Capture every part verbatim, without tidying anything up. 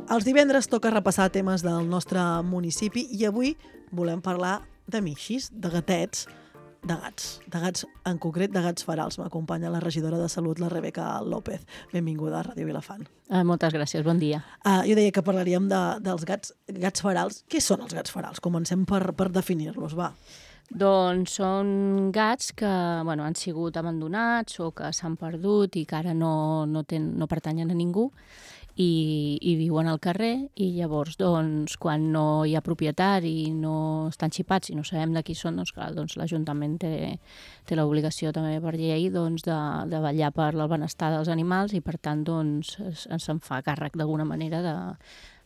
Els divendres toca repassar temes del nostre municipi i avui volem parlar de mixis, de gatets, de gats, de gats en concret, de gats ferals. M'acompanya la regidora de Salut, la Rebeca López. Benvinguda a Ràdio Vilafant. Uh, moltes gràcies, bon dia. Uh, jo deia que parlaríem de, dels gats, gats ferals. Què són els gats ferals? Comencem per, per definir-los, va. Doncs són gats que bueno, han sigut abandonats o que s'han perdut i que ara no, no, ten, no pertanyen a ningú i, i viuen al carrer, i llavors doncs, quan no hi ha propietari, no estan xipats i no sabem de qui són, doncs, clar, doncs, l'Ajuntament té, té l'obligació també per llei doncs, de, de vetllar per el benestar dels animals i per tant doncs, se'n fa càrrec d'alguna manera de,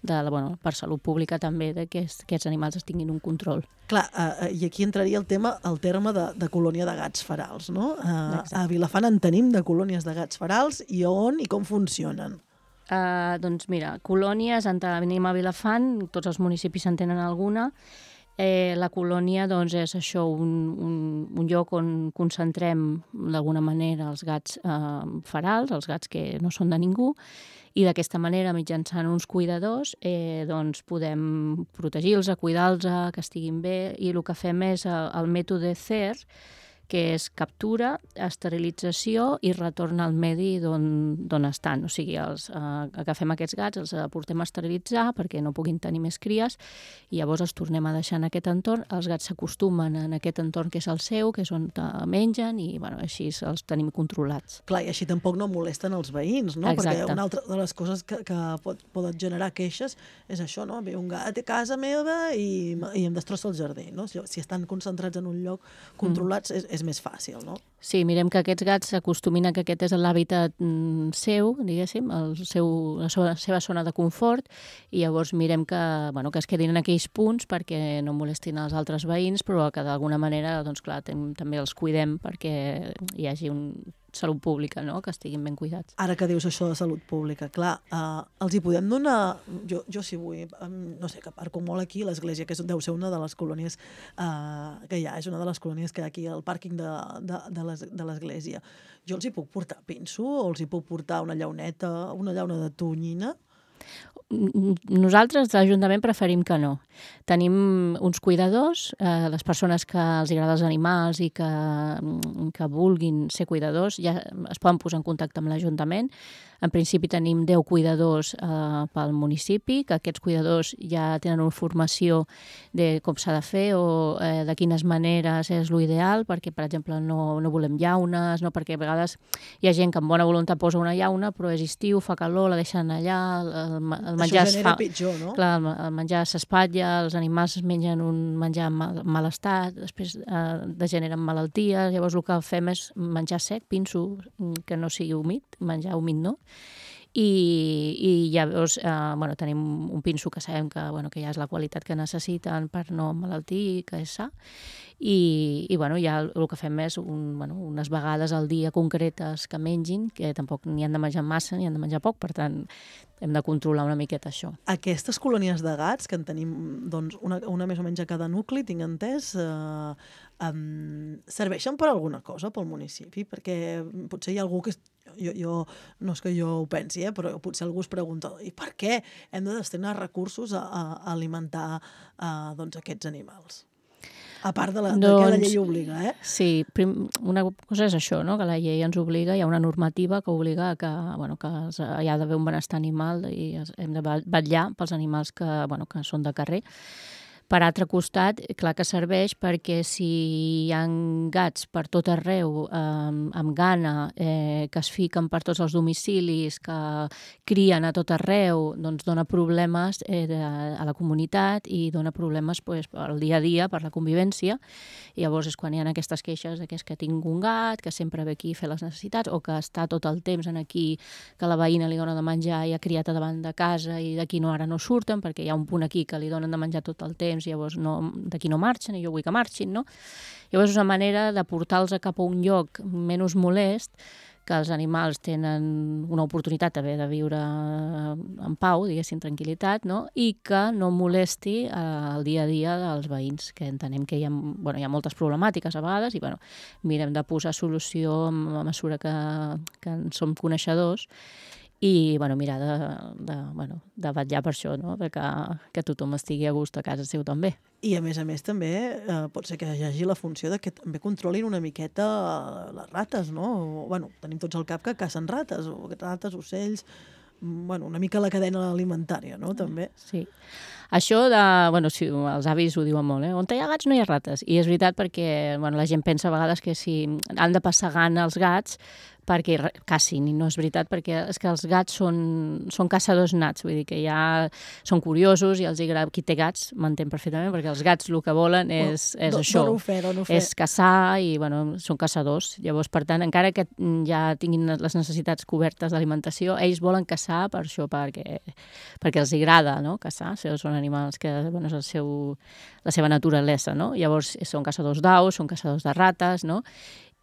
de, bueno, per salut pública també, de que aquests animals es tinguin un control. Clar, uh, i aquí entraria el tema, el terme de, de colònia de gats ferals, no? Uh, a Vilafant en tenim de colònies de gats ferals i on i com funcionen? Uh, doncs mira, colònies, en tenim a Vilafant, tots els municipis en tenen alguna. Eh, la colònia doncs, és això, un, un, un lloc on concentrem d'alguna manera els gats eh, ferals, els gats que no són de ningú, i d'aquesta manera, mitjançant uns cuidadors, eh, doncs podem protegir-los, cuidar-los, que estiguin bé, i el que fem és el, el mètode C E R, que és captura, esterilització i retorn al medi d'on estan. O sigui, els, eh, agafem aquests gats, els portem a esterilitzar perquè no puguin tenir més cries i llavors els tornem a deixar en aquest entorn. Els gats s'acostumen en aquest entorn que és el seu, que és on mengen i bueno, així els tenim controlats. Clar, i així tampoc no molesten els veïns, no? Exacte. Perquè una altra de les coses que, que pot, poden generar queixes és això, no? Ve un gat a casa meva i, i em destrossa el jardí, no? Si, si estan concentrats en un lloc controlats, mm. és, és més fàcil, no? Sí, mirem que aquests gats s'acostumin a que aquest és l'hàbitat mm, seu, diguéssim, el seu, la seva, seva zona de confort, i llavors mirem que, bueno, que es quedin en aquells punts perquè no molestin els altres veïns, però que d'alguna manera, doncs clar, tem, també els cuidem perquè hi hagi un salut pública, no?, que estiguin ben cuidats. Ara que dius això de salut pública, clar, eh, els hi podem donar, jo, jo si vull, no sé, que parco molt aquí, l'església, que és, deu ser una de les colònies eh, que hi ha, és una de les colònies que hi ha aquí al pàrquing de, de, de l'església. Jo els hi puc portar pinso o els hi puc portar una llauneta, una llauna de tonyina? Nosaltres, l'Ajuntament, preferim que no. Tenim uns cuidadors, eh, les persones que els agrada els animals i que, que vulguin ser cuidadors, ja es poden posar en contacte amb l'Ajuntament. En principi tenim deu cuidadors eh, pel municipi, que aquests cuidadors ja tenen una formació de com s'ha de fer o eh, de quines maneres és l'ideal, perquè, per exemple, no, no volem llaunes, no, perquè a vegades hi ha gent que amb bona voluntat posa una llauna, però és estiu, fa calor, la deixen allà, el, el menjar Això genera fa, pitjor, no? Clar, el, el menjar s'espatlla, els animals mengen un menjar en mal, mal estat, després eh, degeneren malalties, llavors el que fem és menjar sec, pinso, que no sigui humit, menjar humit no, i, i llavors eh, bueno, tenim un pinso que sabem que, bueno, que ja és la qualitat que necessiten per no emmalaltir, que és sa, i, i bueno, ja el que fem és un, bueno, unes vegades al dia concretes que mengin, que tampoc n'hi han de menjar massa ni han de menjar poc, per tant hem de controlar una miqueta això. Aquestes colònies de gats, que en tenim doncs, una, una més o menys a cada nucli, tinc entès, eh, um, serveixen per alguna cosa pel municipi? Perquè potser hi ha algú que... Jo, jo, no és que jo ho pensi, eh, però potser algú es pregunta i per què hem de destinar recursos a, a alimentar a, doncs, aquests animals? A part de, la, doncs, de que la llei obliga, eh? Sí, prim, una cosa és això, no?, que la llei ens obliga, hi ha una normativa que obliga que, bueno, que hi ha d'haver un benestar animal i hem de vetllar pels animals que, bueno, que són de carrer. Per altre costat, clar que serveix perquè si hi ha gats per tot arreu, eh, amb gana, eh, que es fiquen per tots els domicilis, que crien a tot arreu, doncs dona problemes eh, de, a la comunitat i dona problemes pues, al dia a dia, per la convivència. I llavors és quan hi ha aquestes queixes de que és que tinc un gat, que sempre ve aquí a fer les necessitats, o que està tot el temps en aquí, que la veïna li dona de menjar i ha criat a davant de casa i d'aquí no, ara no surten, perquè hi ha un punt aquí que li donen de menjar tot el temps, llavors no, d'aquí no marxen i jo vull que marxin, no? Llavors és una manera de portar-los cap a un lloc menys molest, que els animals tenen una oportunitat d'haver de viure en pau, diguéssim, tranquil·litat, no? I que no molesti eh, el dia a dia dels veïns, que entenem que hi ha, bueno, hi ha moltes problemàtiques a vegades i bueno, mirem de posar solució a mesura que, que en som coneixedors i bueno, mirar de, de, bueno, de vetllar per això, no? De que, que tothom estigui a gust a casa seu també. I a més a més també eh, pot ser que hi hagi la funció de que també controlin una miqueta les rates, no? O, bueno, tenim tots al cap que cacen rates, o rates, ocells, bueno, una mica la cadena alimentària, no? També. Sí. Això de... Bueno, sí, els avis ho diuen molt, eh? On hi ha gats no hi ha rates. I és veritat perquè bueno, la gent pensa a vegades que si han de passar gana els gats perquè cacin, i no és veritat, perquè és que els gats són, són caçadors nats, vull dir que ja són curiosos i els agrada. Qui té gats m'entén perfectament, perquè els gats el que volen és, és Do, això, dono fe, dono fe. és caçar i bueno, són caçadors. Llavors, per tant, encara que ja tinguin les necessitats cobertes d'alimentació, ells volen caçar per això, perquè, perquè els agrada, no? Caçar, són animals que bueno, és el seu, la seva naturalesa, no? Llavors, són caçadors d'aus, són caçadors de rates, no?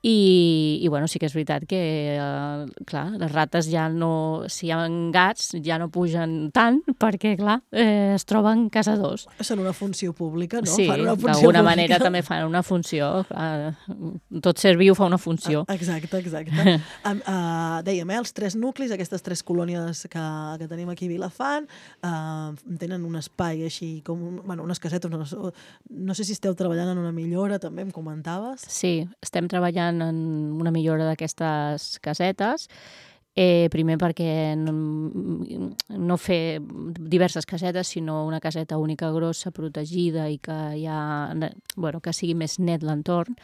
I, i bueno, sí que és veritat que, eh, clar, les rates ja no... Si hi ha gats, ja no pugen tant, perquè, clar, eh, es troben caçadors. Són una funció pública, no? Sí, d'alguna manera també fan una funció. Clar, tot ser viu fa una funció. Ah, exacte, exacte. um, uh, dèiem, eh, els tres nuclis, aquestes tres colònies que, que tenim aquí a Vilafant, uh, tenen un espai així, com un, bueno, unes casetes, no, no sé si esteu treballant en una millora, també em comentaves. Sí, estem treballant en una millora d'aquestes casetes, eh, primer perquè no, no fer diverses casetes, sinó una caseta única grossa, protegida i que, ja, bueno, que sigui més net l'entorn.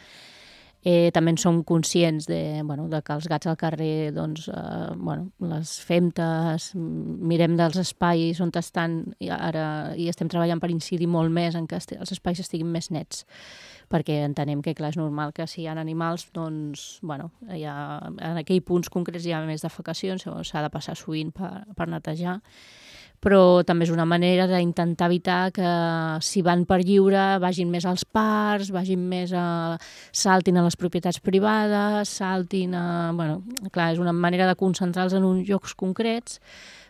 Eh, també en som conscients de, bueno, de que els gats al carrer, doncs, eh, bueno, les femtes, mirem dels espais on estan i ara i estem treballant per incidir molt més en que els espais estiguin més nets, perquè entenem que, clar, és normal que si hi ha animals, doncs, bueno, hi ha, en aquells punts concrets hi ha més defecacions, s'ha de passar sovint per, per netejar, però també és una manera d'intentar evitar que si van per lliure vagin més als parcs, vagin més a... saltin a les propietats privades, saltin a... Bueno, clar, és una manera de concentrar-los en uns llocs concrets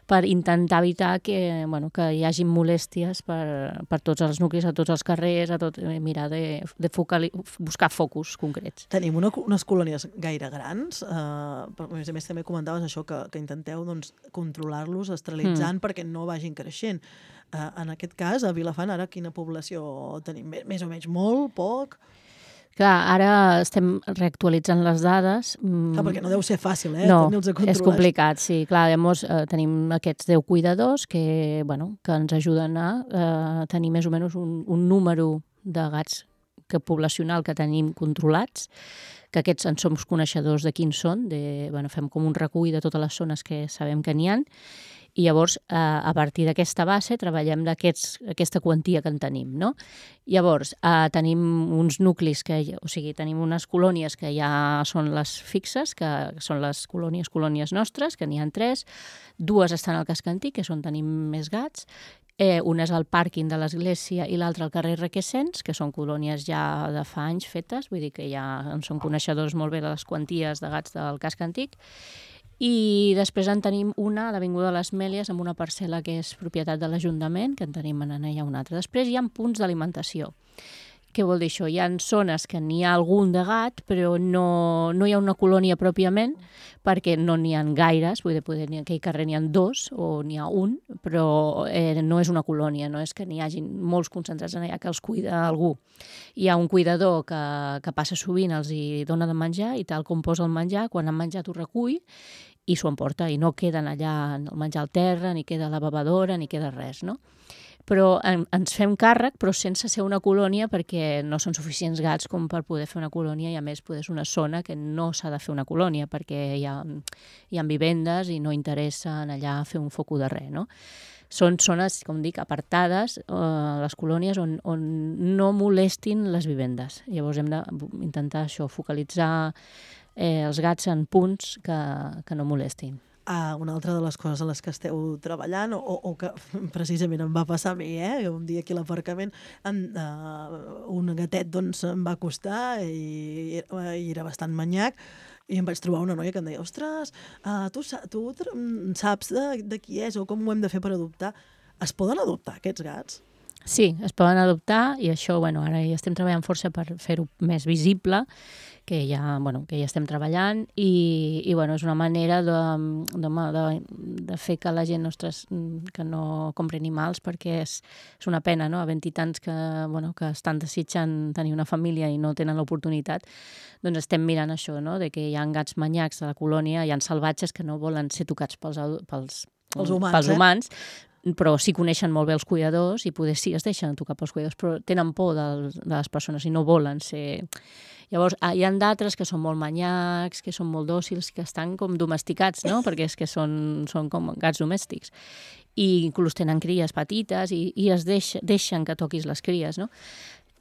per intentar evitar que, bueno, que hi hagi molèsties per, per tots els nuclis, a tots els carrers, a tot, mirar de, de focali, buscar focus concrets. Tenim una, unes colònies gaire grans, eh, però a més a més també comentaves això, que, que intenteu doncs, controlar-los esterilitzant mm. perquè no vagin creixent. Eh, en aquest cas, a Vilafant, ara quina població tenim? Més o menys molt, poc? Clar, ara estem reactualitzant les dades. Clar, perquè no deu ser fàcil, eh? No, és complicat, sí. Clar, llavors eh, tenim aquests deu cuidadors que, bueno, que ens ajuden a eh, tenir més o menys un, un número de gats que poblacional que tenim controlats, que aquests en som coneixedors de quins són, de, bueno, fem com un recull de totes les zones que sabem que n'hi ha, i llavors, eh, a partir d'aquesta base, treballem d'aquesta quantia que en tenim, no? Llavors, eh, tenim uns nuclis, que, o sigui, tenim unes colònies que ja són les fixes, que són les colònies, colònies nostres, que n'hi ha tres, dues estan al casc antic, que és on tenim més gats, eh, una és al pàrquing de l'església i l'altra al carrer Requesens, que són colònies ja de fa anys fetes, vull dir que ja en són coneixedors molt bé de les quanties de gats del casc antic, i després en tenim una a l'Avinguda de les Mèlies amb una parcel·la que és propietat de l'Ajuntament, que en tenim en allà una altra. Després hi ha punts d'alimentació. Què vol dir això? Hi ha zones que n'hi ha algun de gat, però no, no hi ha una colònia pròpiament, perquè no n'hi ha gaires, vull dir, poder, en aquell carrer n'hi ha dos o n'hi ha un, però eh, no és una colònia, no és que n'hi hagi molts concentrats en allà que els cuida algú. Hi ha un cuidador que, que passa sovint, els hi dona de menjar i tal com posa el menjar, quan han menjat ho recull i s'ho emporta, i no queden allà el menjar al terra, ni queda la bevadora, ni queda res, no? Però en, ens fem càrrec, però sense ser una colònia, perquè no són suficients gats com per poder fer una colònia, i a més poder ser una zona que no s'ha de fer una colònia, perquè hi ha, hi ha vivendes i no interessa allà fer un foco de res, no? Són zones, com dic, apartades, eh, les colònies, on, on no molestin les vivendes. Llavors hem d'intentar això, focalitzar eh, els gats en punts que, que no molestin. Ah, una altra de les coses a les que esteu treballant, o, o que precisament em va passar a mi, eh? Un dia aquí a l'aparcament en, uh, un gatet doncs, em va acostar i, i era bastant manyac, i em vaig trobar una noia que em deia, ostres, uh, tu, tu saps de, de qui és o com ho hem de fer per adoptar? Es poden adoptar aquests gats? Sí, es poden adoptar i això, bueno, ara ja estem treballant força per fer-ho més visible, que ja, bueno, que ja estem treballant i, i bueno, és una manera de, de, de, de fer que la gent nostres que no compri animals, perquè és, és una pena, no? Havent-hi tants que, bueno, que estan desitjant tenir una família i no tenen l'oportunitat, doncs estem mirant això, no? De que hi ha gats manyacs a la colònia, hi ha salvatges que no volen ser tocats pels, pels, Els humans, pels eh? humans, però sí coneixen molt bé els cuidadors i poder sí es deixen tocar pels cuidadors, però tenen por de, de les persones i no volen ser... Llavors, hi ha d'altres que són molt manyacs, que són molt dòcils, que estan com domesticats, no? Perquè és que són, són com gats domèstics. I inclús tenen cries petites i, i es deix, deixen que toquis les cries, no?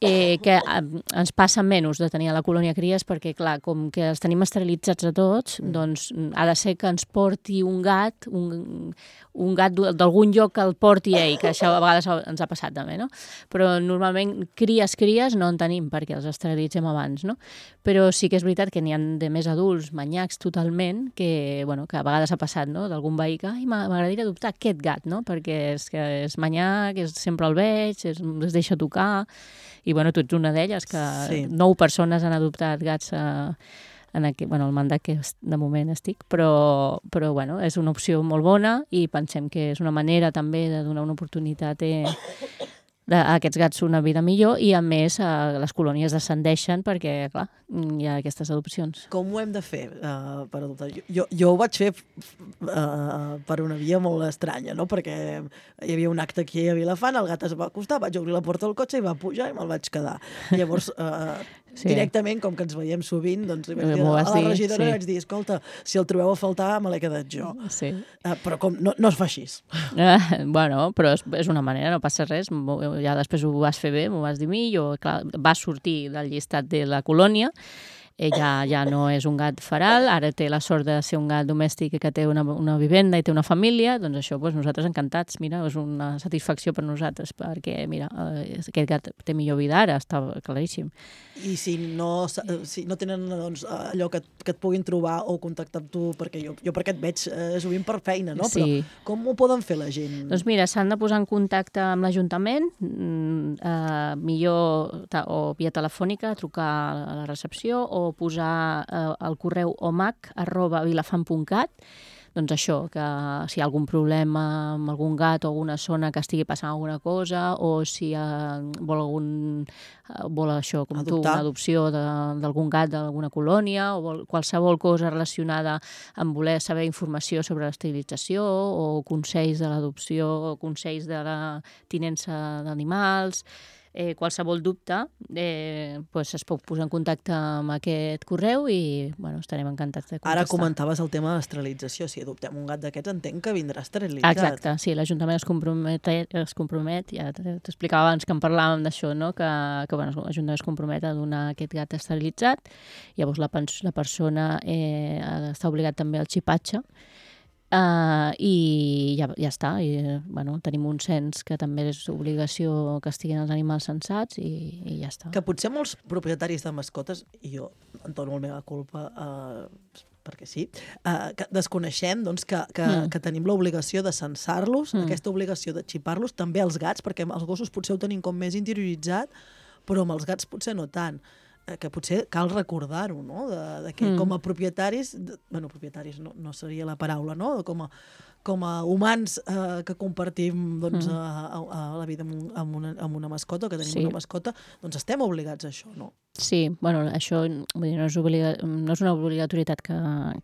Eh, que eh, ens passa menys de tenir a la colònia cries perquè, clar, com que els tenim esterilitzats a tots, doncs ha de ser que ens porti un gat, un, un gat d'algun lloc que el porti ell, que això a vegades ens ha passat també, no? Però normalment cries, cries no en tenim perquè els esterilitzem abans, no? Però sí que és veritat que n'hi ha de més adults, manyacs totalment, que, bueno, que a vegades ha passat, no? D'algun veí que, ai, m'agradaria adoptar aquest gat, no? Perquè és, que és manyac, és, sempre el veig, es, es deixa tocar... I bueno, tu ets una d'elles, que sí. nou persones han adoptat gats a, en aquest, bueno, el mandat que de moment estic, però, però bueno, és una opció molt bona i pensem que és una manera també de donar una oportunitat eh, a aquests gats una vida millor i a més eh, les colònies descendeixen perquè, clar, hi ha aquestes adopcions. Com ho hem de fer uh, per adoptar? Jo, jo ho vaig fer uh, per una via molt estranya, no? Perquè hi havia un acte aquí a Vilafant, el gat es va acostar, vaig obrir la porta del cotxe i va pujar i me'l vaig quedar. Llavors, uh, sí. directament, com que ens veiem sovint, doncs li vaig dir, a la regidora sí. vaig dir, escolta, si el trobeu a faltar, me l'he quedat jo. Sí. Uh, però com, no, no es fa així. Uh, bueno, però és, és una manera, no passa res. Ja després ho vas fer bé, m'ho vas dir a mi, jo, clar, va sortir del llistat de la colònia, ella ja no és un gat feral, ara té la sort de ser un gat domèstic que té una, una vivenda i té una família, doncs això, doncs nosaltres encantats, mira, és una satisfacció per nosaltres, perquè, mira, aquest gat té millor vida ara, està claríssim. I si no, si no tenen doncs, allò que, que et puguin trobar o contactar amb tu, perquè jo, jo perquè et veig eh, sovint per feina, no? Sí. Però com ho poden fer la gent? Doncs mira, s'han de posar en contacte amb l'Ajuntament, eh, millor o via telefònica, trucar a la recepció o posar eh, el correu omac arroba vilafant punt cat, doncs això, que si hi ha algun problema amb algun gat o alguna zona que estigui passant alguna cosa, o si eh, vol algun eh, vol això, com Adoptar. tu, una adopció d'algun gat d'alguna colònia, o vol qualsevol cosa relacionada amb voler saber informació sobre l'esterilització, o consells de l'adopció, o consells de la tinença d'animals, Eh, qualsevol dubte eh, pues es pot posar en contacte amb aquest correu i bueno, estarem encantats de contestar. Ara comentaves el tema de l'esterilització. Si adoptem un gat d'aquests, entenc que vindrà esterilitzat. Exacte, sí, l'Ajuntament es compromet, es compromet ja t'explicava abans que en parlàvem d'això, no? que, que bueno, l'Ajuntament es compromet a donar aquest gat esterilitzat. Llavors la, la persona eh, està obligat també al xipatge. Uh, i ja, ja està i, bueno, tenim un cens que també és obligació que estiguin els animals censats i, i ja està. Que potser molts propietaris de mascotes, i jo em dono la meva culpa uh, perquè sí, uh, que desconeixem doncs, que, que, mm. que tenim l'obligació de censar-los, mm. aquesta obligació de xipar-los, també els gats, perquè els gossos potser ho tenim com més interioritzat, però amb els gats potser no tant. Que potser cal recordar-ho, no? De, de que mm. com a propietaris, de, bueno, propietaris no, no seria la paraula, no? Com a, com a humans eh, que compartim doncs, mm. a, a, a la vida amb, un, amb, una, amb una mascota, que tenim sí. una mascota, doncs estem obligats a això, no? Sí, bueno, això vull dir, no, és obliga, no és una obligatorietat que,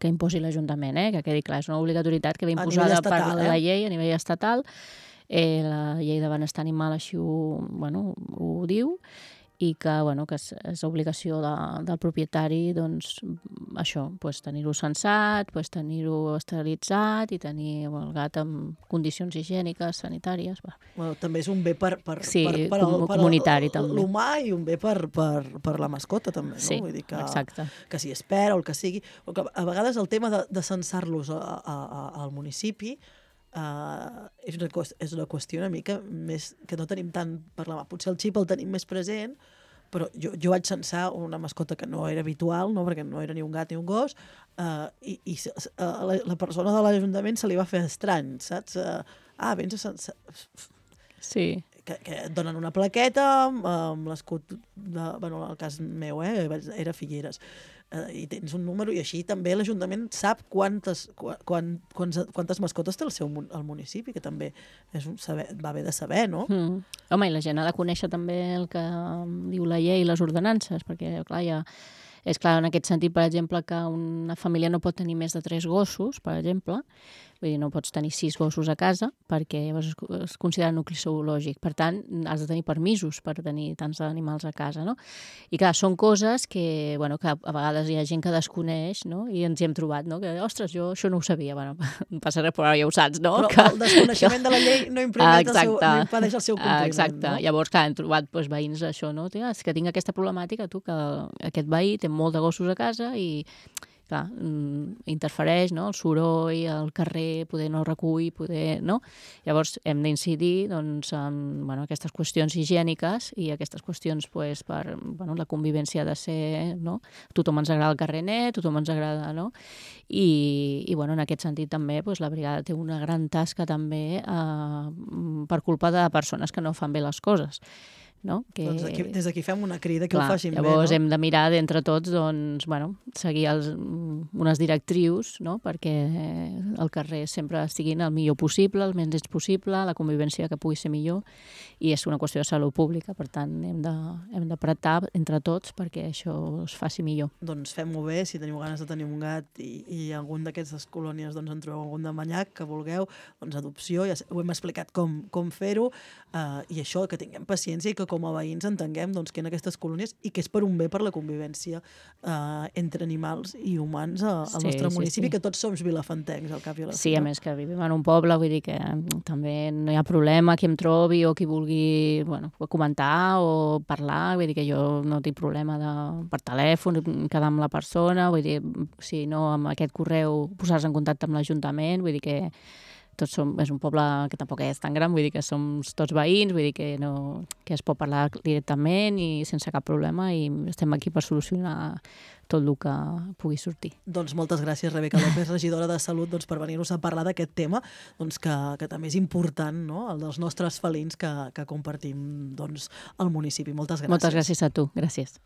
que imposi l'Ajuntament, eh? Que quedi clar, és una obligatorietat que ve imposada estatal, per la eh? llei a nivell estatal, eh, la llei de benestar animal així ho, bueno, ho diu, i que, bueno, que és, és obligació de, del propietari doncs, això, pues, tenir-ho censat, pues, tenir-ho esterilitzat i tenir el gat en condicions higièniques, sanitàries. Bueno, també és un bé per, per, sí, per, per, com, per comunitari també. L'humà i un bé per, per, per la mascota també, no? Sí, vull dir que, exacte. Que si espera o el que sigui. Que a vegades el tema de, de censar-los a, a, a, al municipi Uh, és, una, és una qüestió una mica més que no tenim tant per la mà. Potser el xip el tenim més present, però jo, jo vaig censar una mascota que no era habitual, no? Perquè no era ni un gat ni un gos, uh, i, i uh, la, la persona de l'Ajuntament se li va fer estrany, saps? Uh, ah, vens a censar... Sí. que, que et donen una plaqueta amb l'escut, de, bueno, en el cas meu, eh, era Figueres, eh, i tens un número, i així també l'Ajuntament sap quantes, quan, quantes, quantes mascotes té el seu el municipi, que també és un saber, va bé de saber, no? Mm. Home, i la gent ha de conèixer també el que diu la llei i les ordenances, perquè, clar, ja... És clar, en aquest sentit, per exemple, que una família no pot tenir més de tres gossos, per exemple, vull dir, no pots tenir sis gossos a casa perquè llavors es considera nucli zoològic. Per tant, has de tenir permisos per tenir tants animals a casa, no? I clar, són coses que, bueno, que a vegades hi ha gent que desconeix, no? I ens hi hem trobat, no? Que, ostres, jo això no ho sabia. Bueno, no passa res, però ja ho saps, no? Però que... el desconeixement de la llei no, el seu, no impedeix el seu compliment, Exacte. no? Llavors, clar, hem trobat doncs, veïns això, no? És que tinc aquesta problemàtica, tu, que aquest veí té molt de gossos a casa i clar, interfereix, no? El soroll, el carrer, poder no recull, poder, no? Llavors hem d'incidir doncs, en bueno, aquestes qüestions higièniques i aquestes qüestions pues, per bueno, la convivència de ser, no? Tothom ens agrada el carrer net, tothom ens agrada, no? I, i bueno, en aquest sentit també pues, la brigada té una gran tasca també eh, per culpa de persones que no fan bé les coses. No? Que... Doncs aquí, des d'aquí fem una crida que Clar, ho facin llavors bé, no? hem de mirar d'entre tots doncs, bueno, seguir els, unes directrius, no? Perquè el carrer sempre estiguin el millor possible, el menys possible, la convivència que pugui ser millor, i és una qüestió de salut pública, per tant hem de, hem d'apretar entre tots perquè això es faci millor. Doncs fem-ho bé, si teniu ganes de tenir un gat i, i algun d'aquestes colònies doncs, en trobeu algun de manyac que vulgueu, doncs adopció, ja ho hem explicat com, com fer-ho, eh, i això, que tinguem paciència i que com a veïns entenguem doncs, que en aquestes colònies i que és per un bé per la convivència eh, entre animals i humans al Sí, nostre sí, municipi, sí. que tots som vilafantencs, al cap i a la Sí, a més que vivim en un poble, vull dir que també no hi ha problema qui em trobi o qui vulgui bueno, comentar o parlar, vull dir que jo no tinc problema de, per telèfon, quedar amb la persona, vull dir, si no amb aquest correu posar-se en contacte amb l'Ajuntament, vull dir que tots som, és un poble que tampoc és tan gran, vull dir que som tots veïns, vull dir que, no, que es pot parlar directament i sense cap problema i estem aquí per solucionar tot el que pugui sortir. Doncs moltes gràcies, Rebeca López, regidora de Salut, doncs, per venir-nos a parlar d'aquest tema, doncs, que, que també és important, no? El dels nostres felins que, que compartim doncs, al municipi. Moltes gràcies. Moltes gràcies a tu. Gràcies.